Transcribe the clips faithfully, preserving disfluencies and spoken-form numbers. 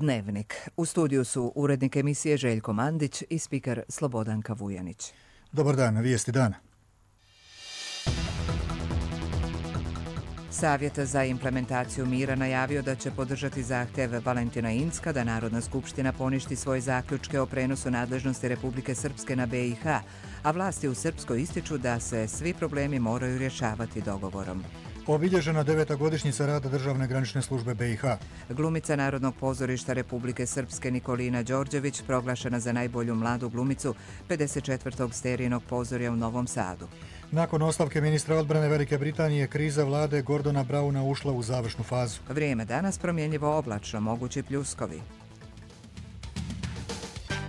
Dnevnik. U studiju su urednik emisije Željko Mandić i spiker Slobodanka Vujanić. Dobar dan, vijesti dana. Savjet za implementaciju mira najavio da će podržati zahtjev Valentina Incka da Narodna skupština poništi svoje zaključke o prenosu nadležnosti Republike Srpske na be i ha, a vlasti u Srpskoj ističu da se svi problemi moraju rješavati dogovorom. Obilježena deveta godišnjica rada Državne granične službe be i ha. Glumica Narodnog pozorišta Republike Srpske Nikolina Đorđević proglašena za najbolju mladu glumicu pedeset četvrtog Sterijinog pozorja u Novom Sadu. Nakon ostavke ministra odbrane Velike Britanije, kriza vlade Gordona Brauna ušla u završnu fazu. Vrijeme danas promjenjivo oblačno, mogući pljuskovi.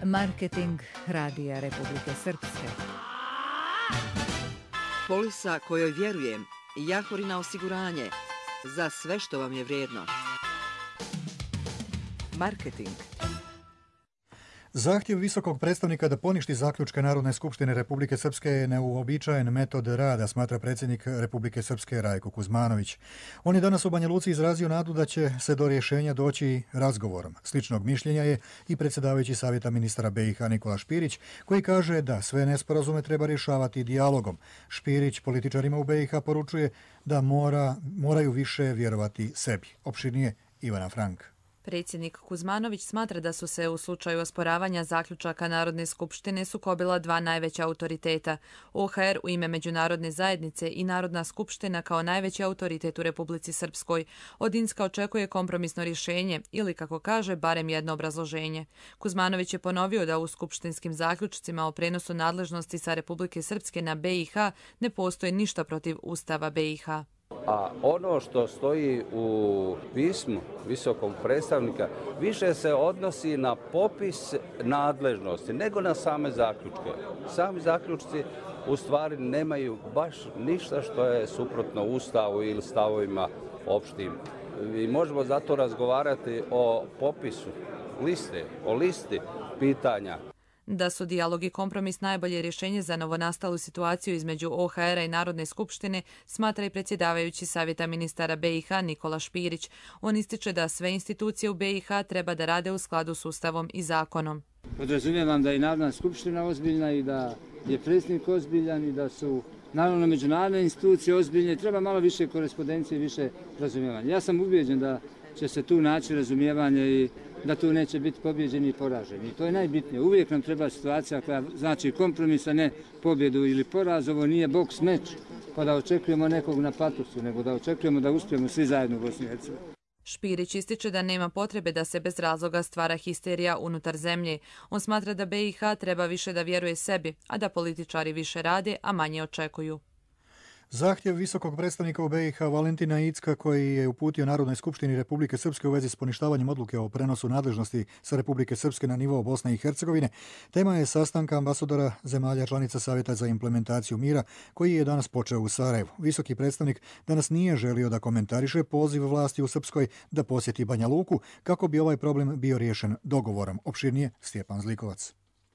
Marketing Radija Republike Srpske. Polisa kojoj vjerujem. Jahorina osiguranje. Za sve što vam je vrijedno. Marketing. Zahtjev visokog predstavnika da poništi zaključke Narodne skupštine Republike Srpske je neuobičajen metod rada, smatra predsjednik Republike Srpske Rajko Kuzmanović. On je danas u Banja Luci izrazio nadu da će se do rješenja doći razgovorom. Sličnog mišljenja je i predsjedavajući savjeta ministara be i ha Nikola Špirić, koji kaže da sve nesporazume treba rješavati dijalogom. Špirić političarima u be i ha poručuje da mora, moraju više vjerovati sebi. Opširnije Ivana Frank. Predsjednik Kuzmanović smatra da su se u slučaju osporavanja zaključaka Narodne skupštine sukobila dva najveća autoriteta. o ha er u ime međunarodne zajednice i Narodna skupština kao najveći autoritet u Republici Srpskoj. Od Incka očekuje kompromisno rješenje ili, kako kaže, barem jedno obrazloženje. Kuzmanović je ponovio da u skupštinskim zaključcima o prenosu nadležnosti sa Republike Srpske na be i ha ne postoji ništa protiv Ustava be i ha. A ono što stoji u pismu visokog predstavnika više se odnosi na popis nadležnosti nego na same zaključke. Sami zaključci u stvari nemaju baš ništa što je suprotno Ustavu ili stavovima opštim. I možemo zato razgovarati o popisu liste, o listi pitanja. Da su dijalog i kompromis najbolje rješenje za novonastalu situaciju između o ha era i Narodne skupštine, smatra i predsjedavajući savjeta ministara be i ha Nikola Špirić. On ističe da sve institucije u be i ha treba da rade u skladu s Ustavom i zakonom. Podrazumijevam da je Narodna skupština ozbiljna i da je predsjednik ozbiljan i da su naravno međunarodne institucije ozbiljne. Treba malo više korespondencije i više razumijevanja. Ja sam ubijeđen da će se tu naći razumijevanje i da tu neće biti pobjeđeni i poraženi. I to je najbitnije. Uvijek nam treba situacija koja znači kompromis, a ne pobjedu ili poraz. Ovo nije boks meč pa da očekujemo nekog na patusu, nego da očekujemo da uspijemo svi zajedno u Bosni i Hercegovini. Špirić ističe da nema potrebe da se bez razloga stvara histerija unutar zemlje. On smatra da be i ha treba više da vjeruje sebi, a da političari više rade, a manje očekuju. Zahtjev visokog predstavnika u be i ha Valentina Incka koji je uputio Narodnoj skupštini Republike Srpske u vezi s poništavanjem odluke o prenosu nadležnosti sa Republike Srpske na nivo Bosne i Hercegovine, tema je sastanka ambasadora zemalja članica Savjeta za implementaciju mira koji je danas počeo u Sarajevu. Visoki predstavnik danas nije želio da komentariše poziv vlasti u Srpskoj da posjeti Banja Luku kako bi ovaj problem bio riješen dogovorom. Opširnije Stjepan Zlikovac.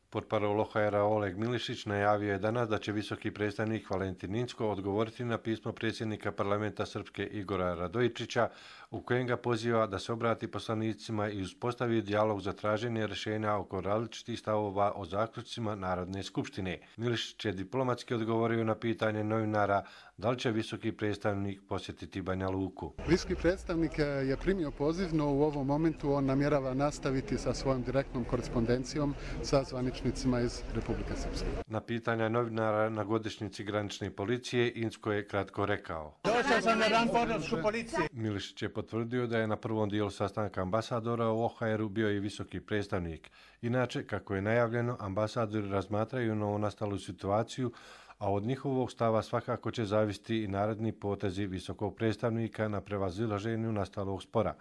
Portparol o ha era Oleg Milišić najavio je danas da će visoki predstavnik Valentin Incko odgovoriti na pismo predsjednika parlamenta Srpske Igora Radojičića u kojem ga poziva da se obrati poslanicima i uspostavi dijalog za traženje rješenja oko različitih stavova o zaključcima Narodne skupštine. Milišić je diplomatski odgovorio na pitanje novinara da li će visoki predstavnik posjetiti Banja Luku. Visoki predstavnik je primio poziv, no u ovom momentu on namjerava nastaviti sa svojom direktnom korespondencijom sa zvaničnicima iz Republike Srpske. Na pitanja novinara na godišnjici granične policije Incko je kratko rekao. Došao sam na dan podršku policije. Milišić je potvrdio da je na prvom dijelu sastanka ambasadora u o ha eru bio i visoki predstavnik. Inače, kako je najavljeno, ambasadori razmatraju novonastalu situaciju, a od njihovog stava svakako će zavisiti i naredni potezi visokog predstavnika na prevazilaženju nastalog spora.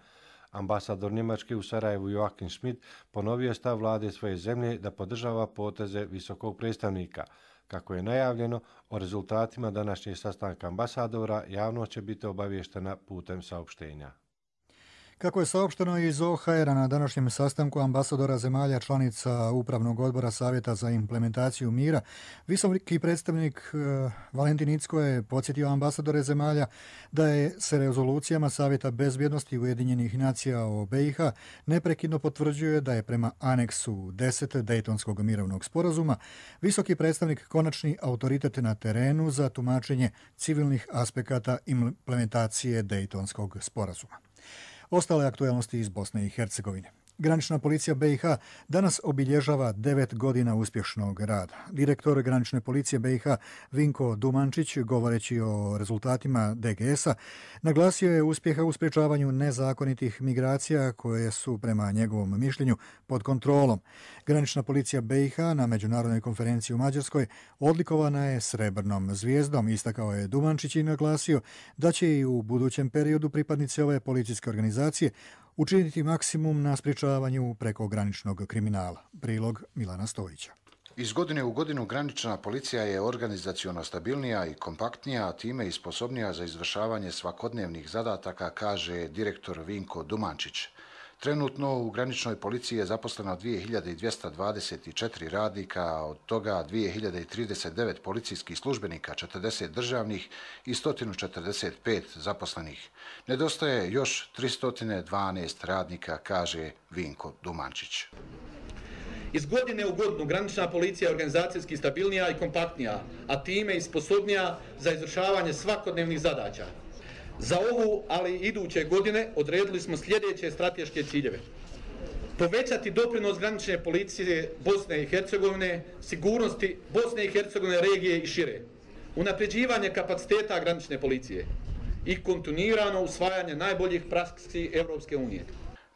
Ambasador Njemačke u Sarajevu Joachim Schmidt ponovio je stav vlade svoje zemlje da podržava poteze visokog predstavnika. Kako je najavljeno, o rezultatima današnjeg sastanka ambasadora javnost će biti obavještena putem saopštenja. Kako je saopšteno iz O H R-a na današnjem sastanku ambasadora zemalja članica Upravnog odbora Savjeta za implementaciju mira, visoki predstavnik e, Valentin Incko je podsjetio ambasadore zemalja da je se rezolucijama Savjeta bezbjednosti Ujedinjenih nacija o B i H neprekidno potvrđuje da je prema aneksu deset Dejtonskog mirovnog sporazuma visoki predstavnik konačni autoritet na terenu za tumačenje civilnih aspekata implementacije Dejtonskog sporazuma. Ostale aktualnosti iz Bosne i Hercegovine. Granična policija B i H danas obilježava devet godina uspješnog rada. Direktor granične policije B i H Vinko Dumančić, govoreći o rezultatima D G S-a, naglasio je uspjeha u sprječavanju nezakonitih migracija koje su prema njegovom mišljenju pod kontrolom. Granična policija B i H na međunarodnoj konferenciji u Mađarskoj odlikovana je srebrnom zvijezdom. Istakao je Dumančić i naglasio da će i u budućem periodu pripadnici ove policijske organizacije učiniti maksimum na sprječavanju prekograničnog kriminala. Prilog Milana Stojića. Iz godine u godinu granična policija je organizaciono stabilnija i kompaktnija, a time i sposobnija za izvršavanje svakodnevnih zadataka, kaže direktor Vinko Dumančić. Trenutno u graničnoj policiji je zaposleno dvije hiljade dvjesto dvadeset četiri radnika, od toga dvije hiljade trideset devet policijskih službenika, četrdeset državnih i sto četrdeset pet zaposlenih. Nedostaje još tristo dvanaest radnika, kaže Vinko Dumančić. Iz godine u godinu granična policija je organizacijski stabilnija i kompaktnija, a time i sposobnija za izvršavanje svakodnevnih zadaća. Za ovu, ali i iduće godine odredili smo sljedeće strateške ciljeve. Povećati doprinos granične policije Bosne i Hercegovine, sigurnosti Bosne i Hercegovine, regije i šire. Unapređivanje kapaciteta granične policije i kontinuirano usvajanje najboljih praksi Europske unije.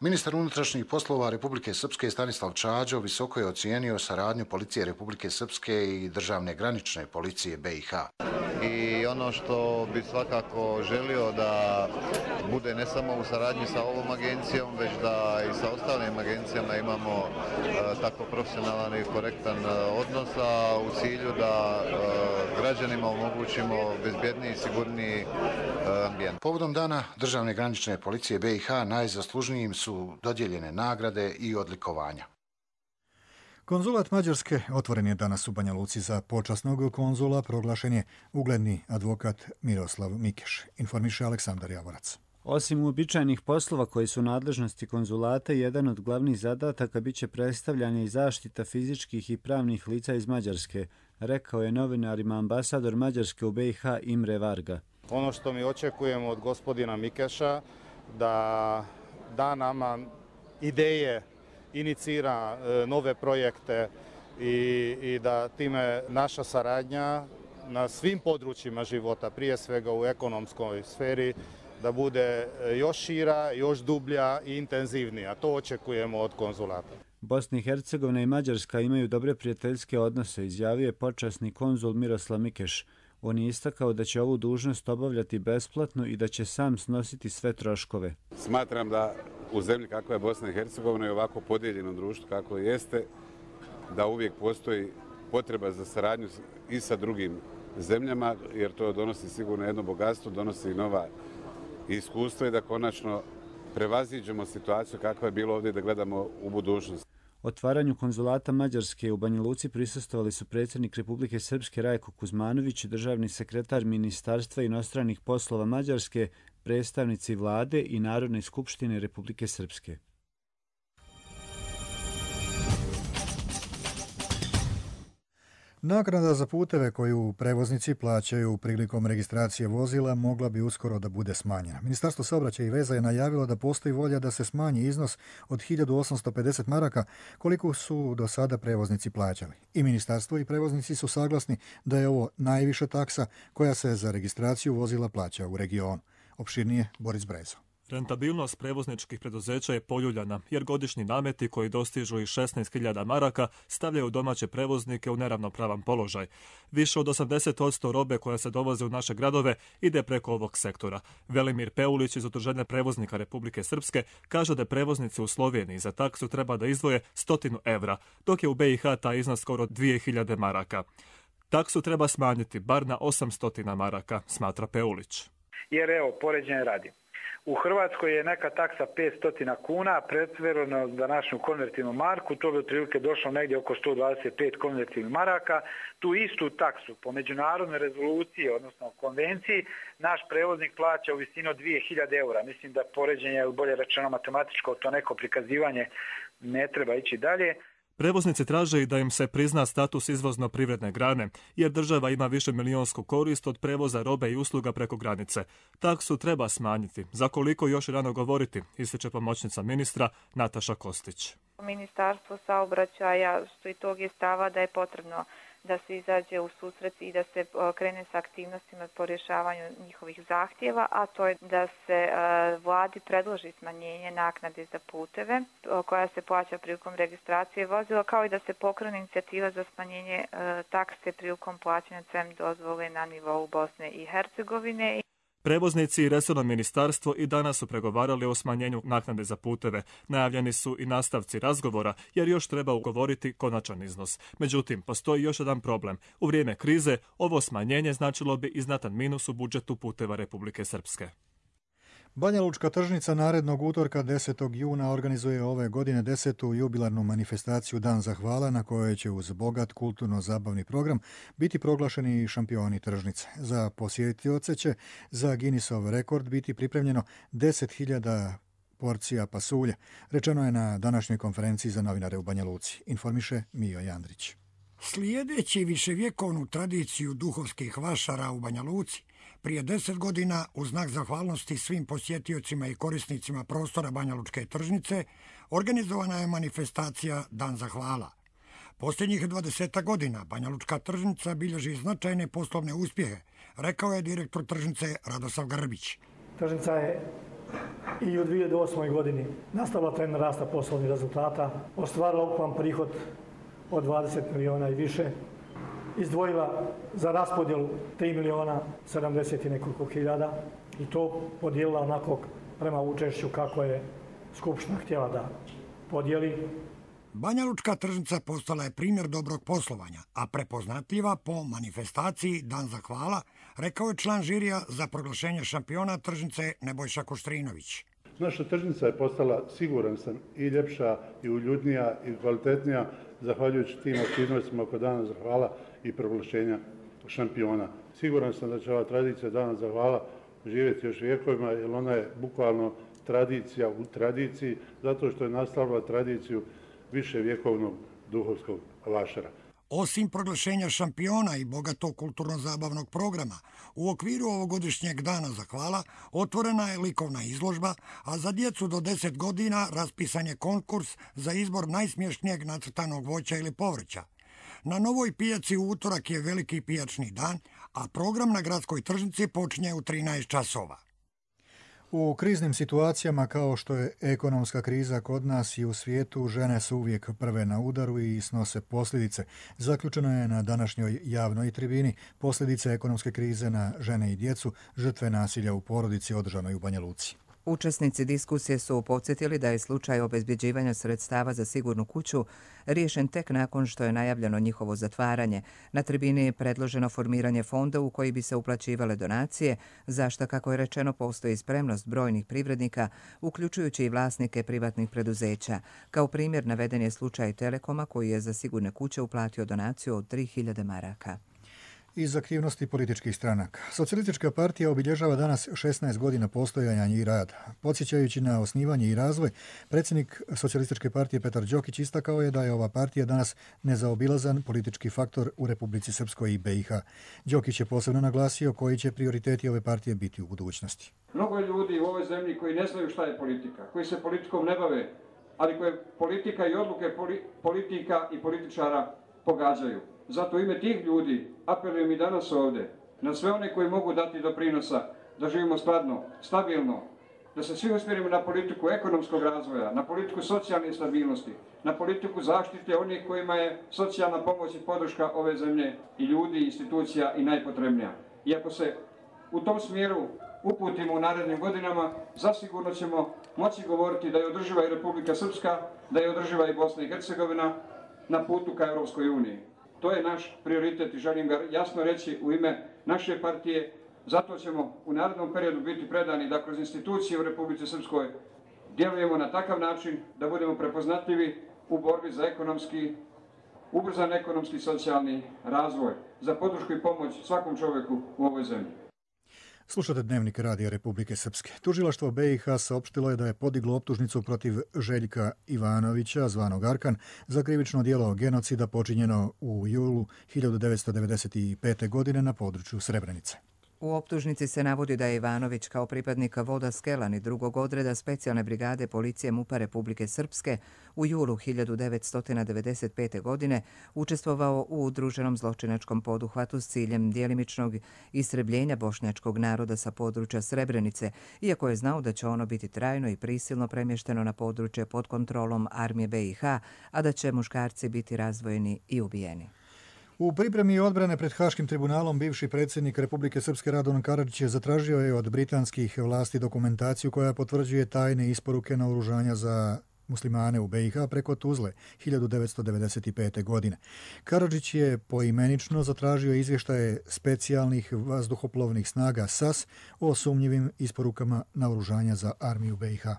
Ministar unutrašnjih poslova Republike Srpske Stanislav Čađo visoko je ocijenio saradnju policije Republike Srpske i državne granične policije B i H. I ono što bi svakako želio da bude ne samo u saradnji sa ovom agencijom, već da i sa ostalim agencijama imamo e, tako profesionalan i korektan odnos, a u cilju da e, građanima omogućimo bezbjedniji i sigurniji e, ambijent. Povodom dana državne granične policije B i H najzaslužnijim su dodijeljene nagrade i odlikovanja. Konzulat Mađarske otvoren je danas u Banja Luci. Za počasnog konzula proglašen je ugledni advokat Miroslav Mikeš, informiše Aleksandar Javorac. Osim uobičajenih poslova koji su nadležnosti konzulata, jedan od glavnih zadataka biće predstavljanje i zaštita fizičkih i pravnih lica iz Mađarske, rekao je novinarima ambasador Mađarske u B i H Imre Varga. Ono što mi očekujemo od gospodina Mikeša da da nama ideje, inicira nove projekte i, i da time naša saradnja na svim područjima života, prije svega u ekonomskoj sferi, da bude još šira, još dublja i intenzivnija. To očekujemo od konzulata. Bosna i Hercegovina i Mađarska imaju dobre prijateljske odnose, izjavio je počasni konzul Miroslav Mikeš. On je istakao da će ovu dužnost obavljati besplatno i da će sam snositi sve troškove. Smatram da u zemlji kakva je Bosna i Hercegovina i ovako podijeljeno društvo kako jeste, da uvijek postoji potreba za saradnju i sa drugim zemljama, jer to donosi sigurno jedno bogatstvo, donosi i nova iskustva i da konačno prevaziđemo situaciju kakva je bilo ovdje, da gledamo u budućnost. Otvaranju konzulata Mađarske u Banja Luci prisustvovali su predsjednik Republike Srpske Rajko Kuzmanović, državni sekretar Ministarstva inostranih poslova Mađarske, predstavnici vlade i Narodne skupštine Republike Srpske. Naknada za puteve koju prevoznici plaćaju prilikom registracije vozila mogla bi uskoro da bude smanjena. Ministarstvo saobraćaja i veza je najavilo da postoji volja da se smanji iznos od hiljadu osamsto pedeset maraka koliko su do sada prevoznici plaćali. I ministarstvo i prevoznici su saglasni da je ovo najviša taksa koja se za registraciju vozila plaća u regionu. Opširnije Boris Brezo. Rentabilnost prevozničkih preduzeća je poljuljana, jer godišnji nameti koji dostižu i šesnaest hiljada maraka stavljaju domaće prevoznike u neravnopravan položaj. Više od osamdeset posto robe koja se dovoze u naše gradove ide preko ovog sektora. Velimir Peulić iz Udruženja prevoznika Republike Srpske kaže da prevoznici u Sloveniji za taksu treba da izdvoje stotinu evra, dok je u B i H taj iznos skoro dvije hiljade maraka. Taksu treba smanjiti bar na osamsto maraka, smatra Peulić. Jer evo, poređenje radi. U Hrvatskoj je neka taksa petsto kuna, pretvoreno za našu konvertivnu marku, to bi otprilike došlo negdje oko sto dvadeset pet konvertivnih maraka. Tu istu taksu po međunarodnoj rezoluciji, odnosno konvenciji, naš prevoznik plaća u visini od dvije hiljade eura. Mislim da poređenje, bolje rečeno matematičko, to neko prikazivanje ne treba ići dalje. Prevoznici traže i da im se prizna status izvozno-privredne grane, jer država ima više milionsku korist od prevoza robe i usluga preko granice. Taksu treba smanjiti. Za koliko još rano govoriti, ističe pomoćnica ministra Nataša Kostić. Ministarstvo saobraćaja stoji tog je stava da je potrebno da se izađe u susret i da se krene sa aktivnostima po rješavanju njihovih zahtjeva, a to je da se vladi predloži smanjenje naknade za puteve koja se plaća prilikom registracije vozila, kao i da se pokrene inicijativa za smanjenje takse prilikom plaćanja C E M dozvole na nivou Bosne i Hercegovine. Prevoznici i resorno ministarstvo i danas su pregovarali o smanjenju naknade za puteve. Najavljeni su i nastavci razgovora, jer još treba ugovoriti konačan iznos. Međutim, postoji još jedan problem. U vrijeme krize ovo smanjenje značilo bi i znatan minus u budžetu puteva Republike Srpske. Banja Lučka tržnica narednog utorka desetog juna organizuje ove godine desetu jubilarnu manifestaciju Dan zahvala, na kojoj će uz bogat kulturno-zabavni program biti proglašeni šampioni tržnice. Za posjetioce će za Guinnessov rekord biti pripremljeno deset hiljada porcija pasulja, rečeno je na današnjoj konferenciji za novinare u Banja Luci, informiše Mijo Jandrić. Slijedeći viševjekovnu tradiciju duhovskih vašara u Banja Luci, prije deset godina, u znak zahvalnosti svim posjetiocima i korisnicima prostora Banja Lučke tržnice, organizovana je manifestacija Dan zahvala. Posljednjih dvadeset godina Banja Lučka tržnica bilježi značajne poslovne uspjehe, rekao je direktor tržnice Radosav Grbić. Tržnica je i u dvije hiljade osmoj godini nastavila trend rasta poslovnih rezultata, ostvarila ukupan prihod od dvadeset miliona i više, izdvojila za raspodjelu tri miliona sedamdeset i nekoliko hiljada i to podijelila onako prema učešću kako je Skupština htjela da podijeli. Banja Lučka tržnica postala je primjer dobrog poslovanja, a prepoznatljiva po manifestaciji Dan zahvala, rekao je član žirija za proglašenje šampiona tržnice Nebojša Koštrinović. Naša tržnica je postala, siguran sam, i ljepša, i uljudnija, i kvalitetnija, zahvaljujući tim aktivnostima oko Dana zahvala i proglašenja šampiona. Siguran sam da će ova tradicija Dana zahvala živjeti još vjekovima, jer ona je bukvalno tradicija u tradiciji, zato što je nastavila tradiciju više vjekovnog duhovskog vašara. Osim proglašenja šampiona i bogatog kulturno-zabavnog programa, u okviru ovogodišnjeg Dana zahvala otvorena je likovna izložba, a za djecu do deset godina raspisan je konkurs za izbor najsmješnijeg nacrtanog voća ili povrća. Na Novoj pijaci u utorak je veliki pijačni dan, a program na gradskoj tržnici počinje u trinaest časova. U kriznim situacijama kao što je ekonomska kriza kod nas i u svijetu, žene su uvijek prve na udaru i snose posljedice. Zaključeno je na današnjoj javnoj tribini posljedice ekonomske krize na žene i djecu, žrtve nasilja u porodici održanoj u Banja Luci. Učesnici diskusije su podsjetili da je slučaj obezbjeđivanja sredstava za sigurnu kuću riješen tek nakon što je najavljeno njihovo zatvaranje. Na tribini je predloženo formiranje fonda u koji bi se uplaćivale donacije, za što, kako je rečeno, postoji spremnost brojnih privrednika, uključujući i vlasnike privatnih preduzeća. Kao primjer naveden je slučaj Telekoma koji je za sigurne kuće uplatio donaciju od tri hiljade maraka. Iz aktivnosti političkih stranaka. Socijalistička partija obilježava danas šesnaest godina postojanja i rada. Podsjećajući na osnivanje i razvoj, predsjednik Socijalističke partije Petar Đokić istakao je da je ova partija danas nezaobilazan politički faktor u Republici Srpskoj i B i H. Đokić je posebno naglasio koji će prioriteti ove partije biti u budućnosti. Mnogo je ljudi u ovoj zemlji koji ne znaju šta je politika, koji se politikom ne bave, ali koje politika i odluke politika i političara pogađaju. Zato u ime tih ljudi apelujem i danas ovdje na sve one koji mogu dati doprinosa da živimo skladno, stabilno, da se svi usmjerimo na politiku ekonomskog razvoja, na politiku socijalne stabilnosti, na politiku zaštite onih kojima je socijalna pomoć i podrška ove zemlje i ljudi, institucija i najpotrebnija. I ako se u tom smjeru uputimo u narednim godinama, zasigurno ćemo moći govoriti da je održiva i Republika Srpska, da je održiva i Bosna i Hercegovina na putu ka Europskoj uniji. To je naš prioritet i želim ga jasno reći u ime naše partije, Zato ćemo u narednom periodu biti predani da kroz institucije u Republici Srpskoj djelujemo na takav način da budemo prepoznatljivi u borbi za ekonomski, ubrzan ekonomski i socijalni razvoj, za podršku i pomoć svakom čovjeku u ovoj zemlji. Slušate Dnevnik Radija Republike Srpske. Tužilaštvo B i H saopštilo je da je podiglo optužnicu protiv Željka Ivanovića, zvanog Arkan, za krivično djelo genocida počinjeno u julu hiljadu devetsto devedeset pete. godine na području Srebrenice. U optužnici se navodi da je Ivanović kao pripadnika voda Skelan i drugog odreda specijalne brigade policije MUP-a Republike Srpske u julu hiljadu devetsto devedeset pete. godine učestvovao u udruženom zločinačkom poduhvatu s ciljem djelimičnog istrebljenja bošnjačkog naroda sa područja Srebrenice, iako je znao da će ono biti trajno i prisilno premješteno na područje pod kontrolom armije B i H, a da će muškarci biti razdvojeni i ubijeni. U pripremi odbrane pred Haškim tribunalom bivši predsjednik Republike Srpske Radovan Karadžić je zatražio je od britanskih vlasti dokumentaciju koja potvrđuje tajne isporuke naoružanja za muslimane u B i H preko Tuzle hiljadu devetsto devedeset pete. godine. Karadžić je poimenično zatražio izvještaje specijalnih vazduhoplovnih snaga S A S o sumnjivim isporukama naoružanja za armiju B i H.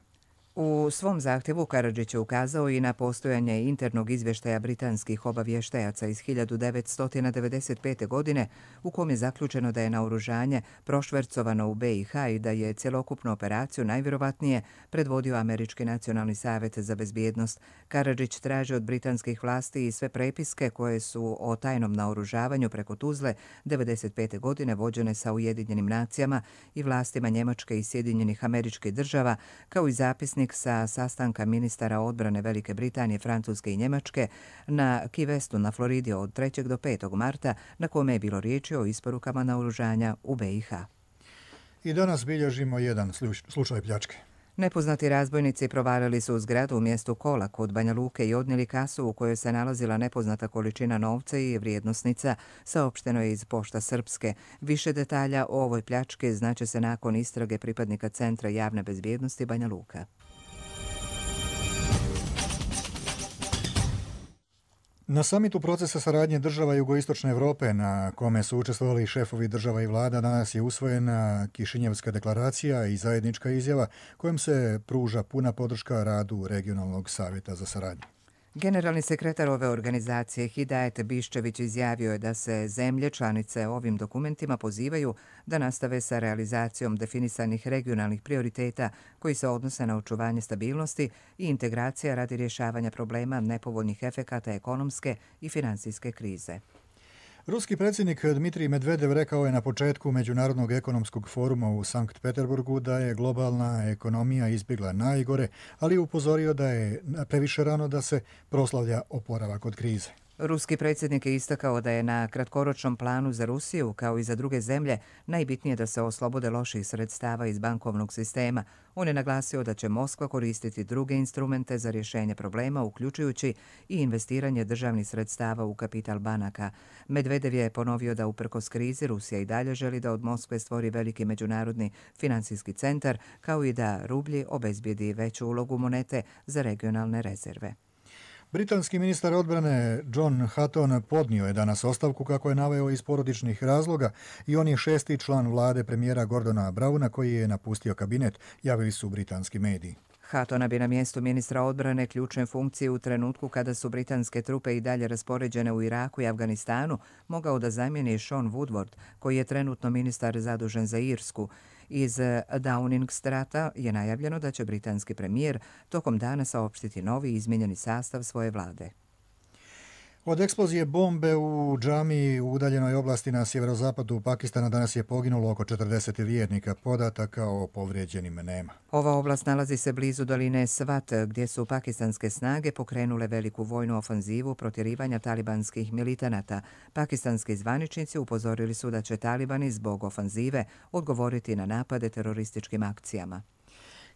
U svom zahtjevu Karadžić je ukazao i na postojanje internog izvještaja britanskih obavještajaca iz hiljadu devetsto devedeset pete. godine u kom je zaključeno da je naoružanje prošvercovano u B i H i da je cjelokupnu operaciju najvjerovatnije predvodio Američki nacionalni savjet za bezbjednost. Karadžić traži od britanskih vlasti i sve prepiske koje su o tajnom naoružavanju preko Tuzle devedeset pete. godine vođene sa Ujedinjenim nacijama i vlastima Njemačke i Sjedinjenih Američkih Država, kao i zapisnik sa sastanka ministara odbrane Velike Britanije, Francuske i Njemačke na Key Westu na Floridi od trećeg do petog marta, na kome je bilo riječi o isporukama naoružanja u B i H. I danas bilježimo jedan slučaj pljačke. Nepoznati razbojnici provalili su u zgradu u mjestu Kola kod Banja Luke i odnijeli kasu u kojoj se nalazila nepoznata količina novca i vrijednosnica, saopšteno je iz Pošta Srpske. Više detalja o ovoj pljački znaće se nakon istrage pripadnika Centra javne bezbjednosti Banja Luka. Na samitu procesa saradnje država Jugoistočne Evrope, na kome su učestvovali šefovi država i vlada, danas je usvojena Kišinjevska deklaracija i zajednička izjava kojom se pruža puna podrška radu Regionalnog savjeta za saradnju. Generalni sekretar ove organizacije Hidajet Biščević izjavio je da se zemlje članice ovim dokumentima pozivaju da nastave sa realizacijom definisanih regionalnih prioriteta koji se odnose na očuvanje stabilnosti i integracija radi rješavanja problema nepovoljnih efekata ekonomske i financijske krize. Ruski predsjednik Dmitrij Medvedev rekao je na početku Međunarodnog ekonomskog foruma u Sankt Peterburgu da je globalna ekonomija izbjegla najgore, ali je upozorio da je previše rano da se proslavlja oporavak od krize. Ruski predsjednik je istakao da je na kratkoročnom planu za Rusiju, kao i za druge zemlje, najbitnije da se oslobode loših sredstava iz bankovnog sistema. On je naglasio da će Moskva koristiti druge instrumente za rješenje problema, uključujući i investiranje državnih sredstava u kapital banaka. Medvedev je ponovio da uprkos krizi Rusija i dalje želi da od Moskve stvori veliki međunarodni financijski centar, kao i da rublji obezbijedi veću ulogu monete za regionalne rezerve. Britanski ministar odbrane John Hutton podnio je danas ostavku, kako je naveo, iz porodičnih razloga, i on je šesti član vlade premijera Gordona Browna koji je napustio kabinet, javili su britanski mediji. Hattona bi na mjestu ministra odbrane ključne funkcije u trenutku kada su britanske trupe i dalje raspoređene u Iraku i Afganistanu mogao da zamijeni Sean Woodward, koji je trenutno ministar zadužen za Irsku. Iz Downing Strata je najavljeno da će britanski premijer tokom dana saopštiti novi izmijenjeni sastav svoje vlade. Od eksplozije bombe u džamiji u udaljenoj oblasti na sjeverozapadu Pakistana danas je poginulo oko četrdeset vjernika, podataka o povrijeđenim nema. Ova oblast nalazi se blizu doline Swat, gdje su pakistanske snage pokrenule veliku vojnu ofanzivu protjerivanja talibanskih militanata. Pakistanski zvaničnici upozorili su da će talibani zbog ofanzive odgovoriti na napade terorističkim akcijama.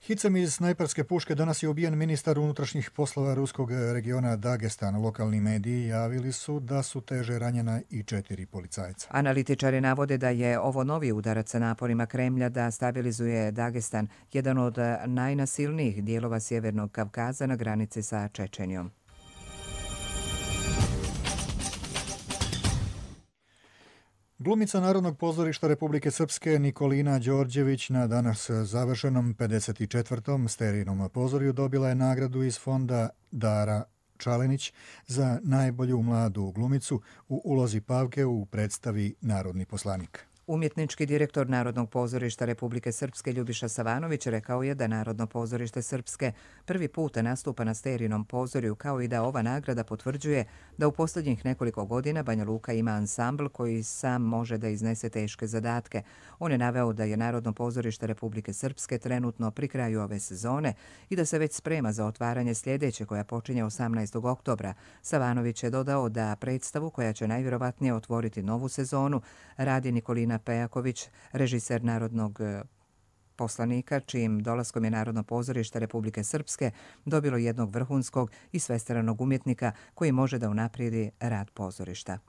Hicem iz snajperske puške danas je ubijen ministar unutrašnjih poslova ruskog regiona Dagestan. Lokalni mediji javili su da su teže ranjena i četiri policajca. Analitičari navode da je ovo novi udarac sa naporima Kremlja da stabilizuje Dagestan, jedan od najnasilnijih dijelova Sjevernog Kavkaza na granici sa Čečenijom. Glumica Narodnog pozorišta Republike Srpske Nikolina Đorđević na danas završenom pedeset četvrtom Sterijinom pozorju dobila je nagradu iz fonda Dara Čalenić za najbolju mladu glumicu u ulozi Pavke u predstavi Narodni poslanik. Umjetnički direktor Narodnog pozorišta Republike Srpske Ljubiša Savanović rekao je da Narodno pozorište Srpske prvi puta nastupa na Sterijinom pozorju, kao i da ova nagrada potvrđuje da u posljednjih nekoliko godina Banja Luka ima ansambl koji sam može da iznese teške zadatke. On je naveo da je Narodno pozorište Republike Srpske trenutno pri kraju ove sezone i da se već sprema za otvaranje sljedeće koja počinje osamnaestog oktobra. Savanović je dodao da predstavu koja će najvjerovatnije otvoriti novu sezonu radi Nikolina Pejaković, režiser Narodnog poslanika, čijim dolaskom je Narodno pozorište Republike Srpske dobilo jednog vrhunskog i svestranog umjetnika koji može da unaprijedi rad pozorišta.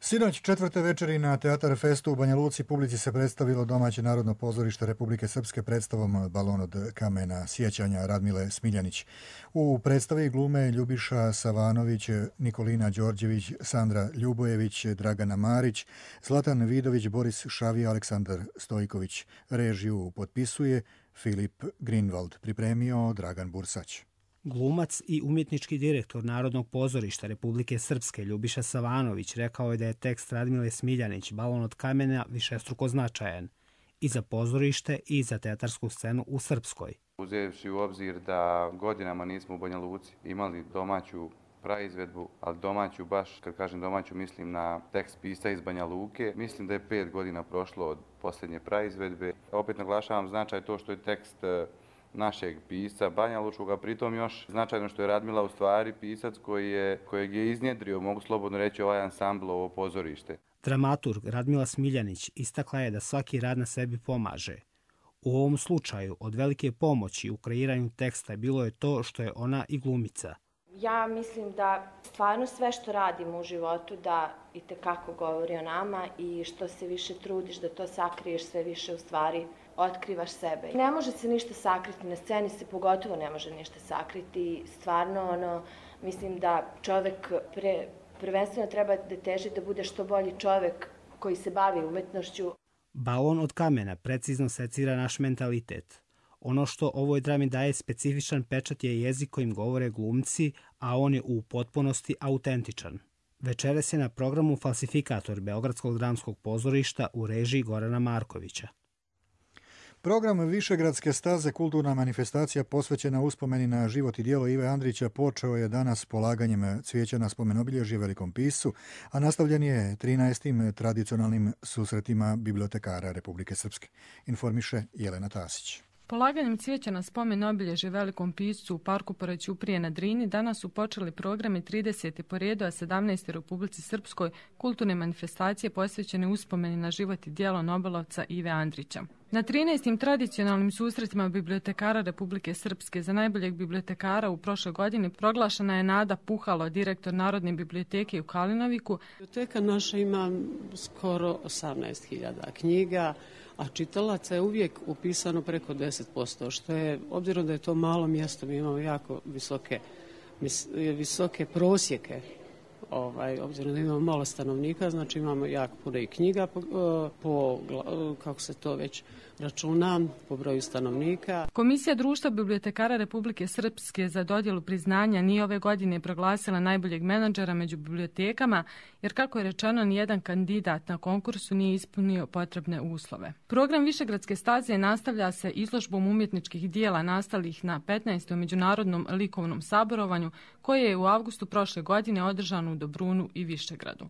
Sinoć četvrte večeri na Teatar Festu u Banja Luci publici se predstavilo domaće Narodno pozorište Republike Srpske predstavom Balon od kamena sjećanja Radmile Smiljanić. U predstavi glume Ljubiša Savanović, Nikolina Đorđević, Sandra Ljubojević, Dragana Marić, Zlatan Vidović, Boris Šavija, Aleksandar Stojković. Režiju potpisuje Filip Greenwald, pripremio Dragan Bursać. Glumac i umjetnički direktor Narodnog pozorišta Republike Srpske Ljubiša Savanović rekao je da je tekst Radmile Smiljanić Balon od kamena višestruko značajan i za pozorište i za teatarsku scenu u Srpskoj. Uzevši u obzir da godinama nismo u Banja Luci imali domaću praizvedbu, ali domaću baš, kad kažem domaću, mislim na tekst pisca iz Banja Luke. Mislim da je pet godina prošlo od posljednje praizvedbe. Opet naglašavam značaj to što je tekst našeg pisca Banja Lučkoga, pritom još značajno što je Radmila u stvari pisac koji je, kojeg je iznjedrio, mogu slobodno reći, ovaj ansambl, ovo pozorište. Dramaturg Radmila Smiljanić istakla je da svaki rad na sebi pomaže. U ovom slučaju od velike pomoći u kreiranju teksta bilo je to što je ona i glumica. Ja mislim da stvarno sve što radimo u životu da itekako govori o nama i što se više trudiš da to sakriješ, sve više u stvari otkrivaš sebe. Ne može se ništa sakriti, na sceni se pogotovo ne može ništa sakriti. Stvarno, ono, mislim da čovjek pre, prvenstveno treba da teži da bude što bolji čovjek koji se bavi umetnošću. Balon od kamena precizno secira naš mentalitet. Ono što ovoj drami daje specifičan pečat je jezik kojim govore glumci, a on je u potpunosti autentičan. Večeras je na programu Falsifikator Beogradskog dramskog pozorišta u režiji Gorana Markovića. Program Višegradske staze, kulturna manifestacija posvećena uspomeni na život i djelo Ive Andrića, počeo je danas polaganjem cvijeća na spomen obilježje velikom piscu, a nastavljen je trinaestim tradicionalnim susretima bibliotekara Republike Srpske, informiše Jelena Tasić. Polaganjem cvijeća na spomen obilježje velikom piscu u parku pored Ćuprije na Drini danas su počeli programi tridesete po redu, a sedamnaeste u Republici Srpskoj kulturne manifestacije posvećene uspomeni na život i djelo nobelovca Ive Andrića. Na trinaestim tradicionalnim susretima bibliotekara Republike Srpske za najboljeg bibliotekara u prošloj godini proglašena je Nada Puhalo, direktor Narodne biblioteke u Kalinoviku. Biblioteka naša ima skoro osamnaest hiljada knjiga, a čitalaca je uvijek upisano preko deset posto, što je, obzirom da je to malo mjesto, mi imamo jako visoke, visoke prosjeke. Ovaj, obzirom da imamo malo stanovnika, znači imamo jako puno i knjiga po, po, kako se to već računa, po broju stanovnika. Komisija Društva bibliotekara Republike Srpske za dodjelu priznanja nije ove godine proglasila najboljeg menadžera među bibliotekama, jer kako je rečeno, nijedan kandidat na konkursu nije ispunio potrebne uslove. Program Višegradske staze nastavlja se izložbom umjetničkih dijela nastalih na petnaestom međunarodnom likovnom saborovanju, koje je u avgustu prošle godine održano u Dobrunu i Višegradu.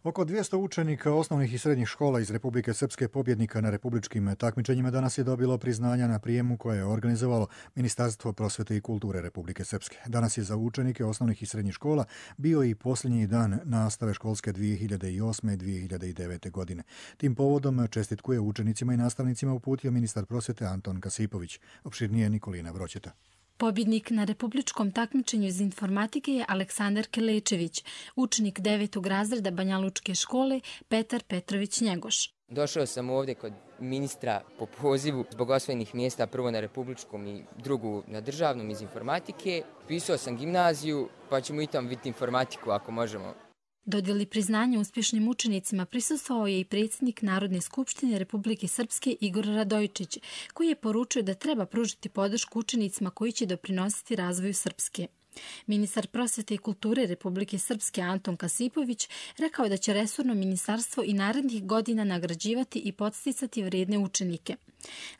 Oko dvjesto učenika osnovnih i srednjih škola iz Republike Srpske, pobjednika na republičkim takmičenjima, danas je dobilo priznanja na prijemu koje je organizovalo Ministarstvo prosvete i kulture Republike Srpske. Danas je za učenike osnovnih i srednjih škola bio i posljednji dan nastave školske dvije hiljade osme i dvije hiljade devete. godine. Tim povodom čestitku je učenicima i nastavnicima uputio ministar prosvete Anton Kasipović. Opširnije Nikolina Vroćeta. Pobjednik na republičkom takmičenju iz informatike je Aleksandar Kelečević, učenik devetog razreda Banjalučke škole Petar Petrović Njegoš. Došao sam ovdje kod ministra po pozivu zbog osvojenih mjesta, prvo na republičkom i drugu na državnom iz informatike. Pisao sam gimnaziju, pa ćemo i tamo vidjeti informatiku ako možemo. Dodjeli priznanja uspješnim učenicima prisustvovao je i predsjednik Narodne skupštine Republike Srpske Igor Radojičić, koji je poručio da treba pružiti podršku učenicima koji će doprinositi razvoju Srpske. Ministar prosvete i kulture Republike Srpske Anton Kasipović rekao da će resorno ministarstvo i narednih godina nagrađivati i podsticati vrijedne učenike.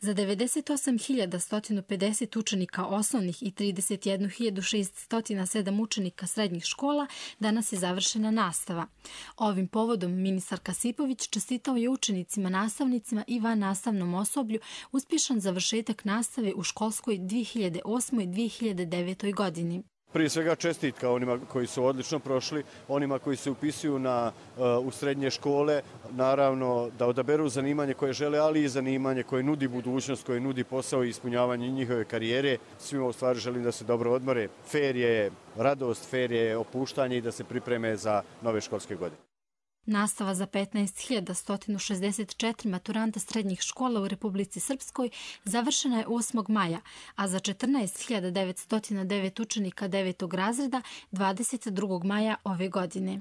Za devedeset osam hiljada sto pedeset učenika osnovnih i trideset jednu hiljadu šeststo sedam učenika srednjih škola danas je završena nastava. Ovim povodom ministar Kasipović čestitao je učenicima, nastavnicima i vannastavnom osoblju uspješan završetak nastave u školskoj dvije hiljade osmoj dvije hiljade devetoj godini. Prije svega čestitka onima koji su odlično prošli, onima koji se upisuju na, u srednje škole, naravno da odaberu zanimanje koje žele, ali i zanimanje koje nudi budućnost, koje nudi posao i ispunjavanje njihove karijere. Svima u stvari želim da se dobro odmore. Fer je radost, fer je opuštanje i da se pripreme za nove školske godine. Nastava za petnaest hiljada sto šezdeset četiri maturanta srednjih škola u Republici Srpskoj završena je osmog maja, a za četrnaest hiljada devetsto devet učenika devetog razreda dvadeset drugog maja ove godine.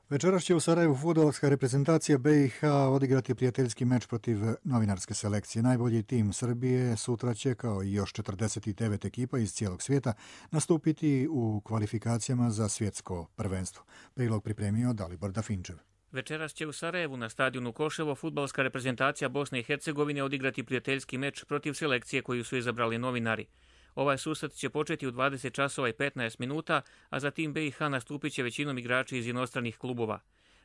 Večeras će u Sarajevu fudbalska reprezentacija B i H odigrati prijateljski meč protiv novinarske selekcije. Najbolji tim Srbije sutra će, kao i još četrdeset devet ekipa iz cijelog svijeta, nastupiti u kvalifikacijama za svjetsko prvenstvo. Prilog pripremio Dalibor Dafinčev. Večeras će u Sarajevu na stadionu Koševo fudbalska reprezentacija Bosne i Hercegovine odigrati prijateljski meč protiv selekcije koju su izabrali novinari. Ovaj susret će početi u dvadeset časova i petnaest minuta, a za tim B i H nastupit će većinom igrači iz inostranih klubova.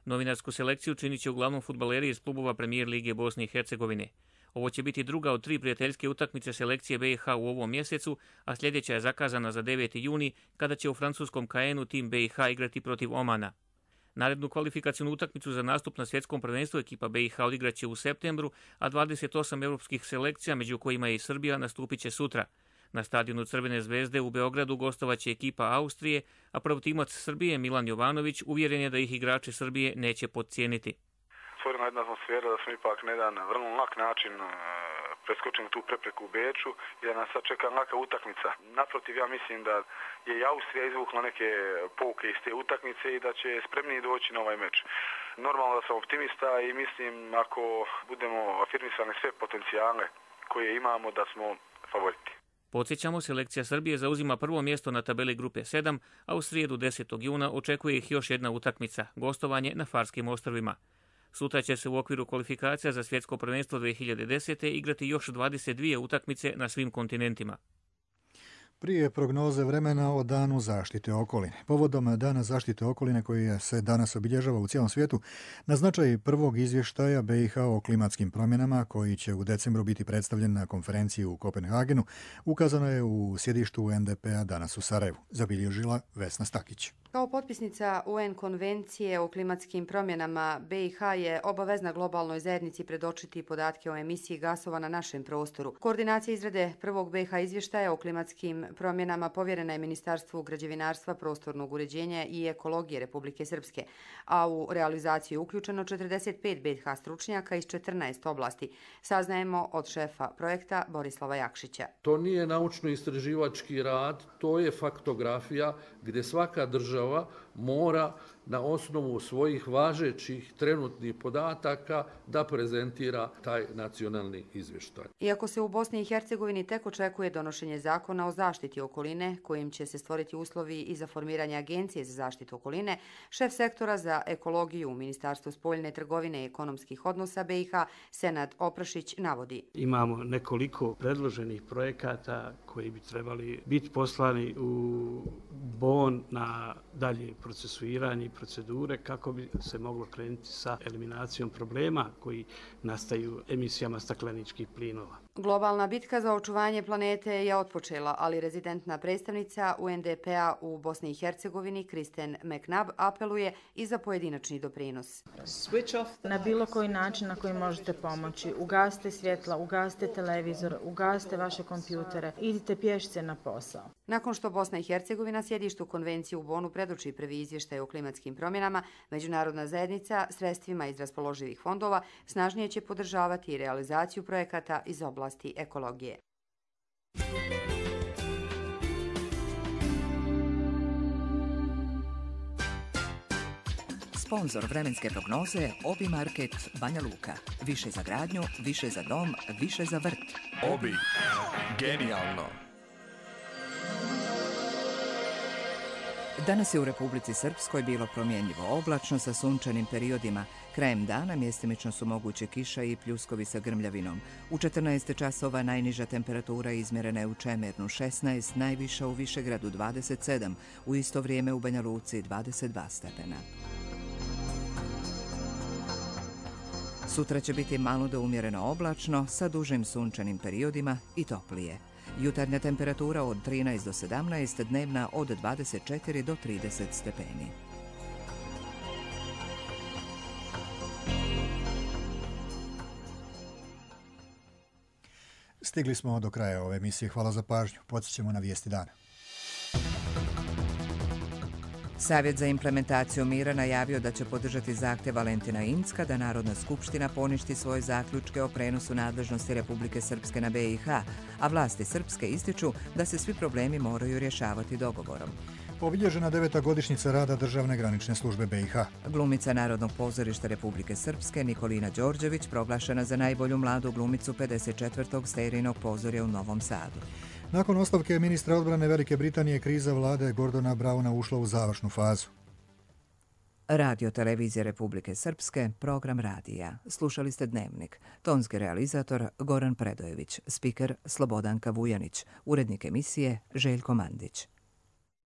Novinarsku selekciju činit će uglavnom fudbaleri iz klubova Premijer Lige Bosne i Hercegovine. Ovo će biti druga od tri prijateljske utakmice selekcije B i H u ovom mjesecu, a sljedeća je zakazana za deveti juni, kada će u francuskom Caenu tim B i H igrati protiv Omana. Narednu kvalifikacijnu utakmicu za nastup na svjetskom prvenstvu ekipa B i H odigraće u septembru, a dvadeset osam europskih selekcija, među kojima je i Srbija, nastupit će sutra. Na stadionu Crvene zvezde u Beogradu gostovaće ekipa Austrije, a protimac Srbije Milan Jovanović uvjeren je da ih igrači Srbije neće podcijeniti. Stvorena jedna atmosfera da smo ipak na jedan vrlo lak način preskočili tu prepreku u Beču i da nas sad čeka laka utakmica. Naprotiv, ja mislim da je i Austrija izvukla neke pouke iz te utakmice i da će spremniji doći na ovaj meč. Normalno da sam optimista i mislim ako budemo afirmisali sve potencijale koje imamo da smo favoriti. Podsjećamo, selekcija Srbije zauzima prvo mjesto na tabeli grupe sedam, a u srijedu desetog juna očekuje ih još jedna utakmica, gostovanje na Farskim ostrvima. Sutra će se u okviru kvalifikacija za svjetsko prvenstvo dvije hiljade desete. igrati još dvadeset dvije utakmice na svim kontinentima. Prije prognoze vremena o danu zaštite okoline. Povodom dana zaštite okoline koji se danas obilježava u cijelom svijetu, na značaj prvog izvještaja B i H o klimatskim promjenama, koji će u decembru biti predstavljen na konferenciji u Kopenhagenu, ukazano je u sjedištu U N D P-a danas u Sarajevu, zabilježila Vesna Stakić. Kao potpisnica U N konvencije o klimatskim promjenama, B i H je obavezna globalnoj zajednici predočiti podatke o emisiji gasova na našem prostoru. Koordinacija izrade prvog B i H izvještaja o klimatskim promjenama povjerena je Ministarstvu građevinarstva, prostornog uređenja i ekologije Republike Srpske, a u realizaciju je uključeno četrdeset pet B i H stručnjaka iz četrnaest oblasti. Saznajemo od šefa projekta Borislava Jakšića. To nije naučno-istraživački rad, to je faktografija gdje svaka država mora na osnovu svojih važećih trenutnih podataka da prezentira taj nacionalni izvještaj. Iako se u Bosni i Hercegovini tek očekuje donošenje zakona o zaštiti okoline, kojim će se stvoriti uslovi i za formiranje Agencije za zaštitu okoline, šef sektora za ekologiju u Ministarstvu spoljne trgovine i ekonomskih odnosa B i H, Senad Oprašić, navodi. Imamo nekoliko predloženih projekata koji bi trebali biti poslani u Bon na dalje procesuiranje i procedure kako bi se moglo krenuti sa eliminacijom problema koji nastaju emisijama stakleničkih plinova. Globalna bitka za očuvanje planete je otpočela, ali rezidentna predstavnica U N D P-a u Bosni i Hercegovini, Kristen McNabb, apeluje i za pojedinačni doprinos. Na bilo koji način na koji možete pomoći. Ugasite svjetla, ugasite televizor, ugasite vaše kompjutere, idite pješice na posao. Nakon što Bosna i Hercegovina sjedištu konvencije u Bonu predoči prvi izvještaj o klimatskim promjenama, međunarodna zajednica sredstvima iz raspoloživih fondova snažnije će podržavati i realizaciju projekata iz oblasti ekologije. Sponzor vremenske prognoze Obi Market Banja Luka. Više za gradnju, više za dom, više za vrt. Obi. Genijalno. Danas je u Republici Srpskoj bilo promjenjivo oblačno sa sunčanim periodima. Krajem dana mjestimično su moguće kiša i pljuskovi sa grmljavinom. U četrnaest časova najniža temperatura izmjerena je u Čemernu šesnaest, najviša u Višegradu dvadeset sedam, u isto vrijeme u Banja Luci dvadeset dva stepena. Sutra će biti malo do umjereno oblačno sa dužim sunčanim periodima i toplije. Jutarnja temperatura od trinaest do sedamnaest, dnevna od dvadeset četiri do trideset stepeni. Stigli smo do kraja ove emisije. Hvala za pažnju. Podsjećamo na vijesti dana. Savjet za implementaciju mira najavio da će podržati zahtjev Valentina Incka da Narodna skupština poništi svoje zaključke o prenosu nadležnosti Republike Srpske na B i H, a vlasti Srpske ističu da se svi problemi moraju rješavati dogovorom. Obilježena deveta godišnjica rada Državne granične službe B i H. Glumica Narodnog pozorišta Republike Srpske Nikolina Đorđević proglašena za najbolju mladu glumicu pedeset četvrtog Sterinog pozorja u Novom Sadu. Nakon ostavke ministra odbrane Velike Britanije, kriza vlade Gordona Brauna ušla u završnu fazu. Radio Televizije Republike Srpske, program radija. Slušali ste Dnevnik. Tonski realizator Goran Predojević, spiker Slobodanka Vujanić, urednik emisije Željko Mandić.